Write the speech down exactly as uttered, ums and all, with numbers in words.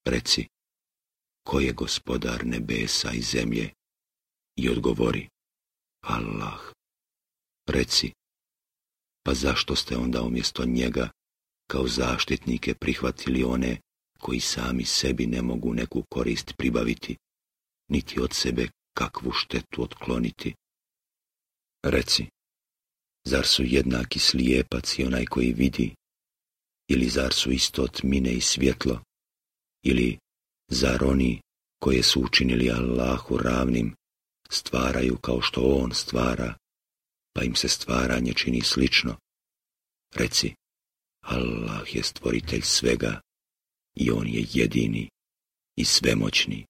Reci, ko je gospodar nebesa i zemlje? I odgovori, Allah. Reci, pa zašto ste onda umjesto njega kao zaštitnike prihvatili one koji sami sebi ne mogu neku korist pribaviti, niti od sebe kakvu štetu otkloniti? Reci, zar su jednaki slijepac i onaj koji vidi? Ili zar su isto tmine i svjetlo? Ili zar oni koje su učinili Allahu ravnim stvaraju kao što on stvara, pa im se stvaranje čini slično? Reci, Allah je stvoritelj svega i on je jedini i svemoćni.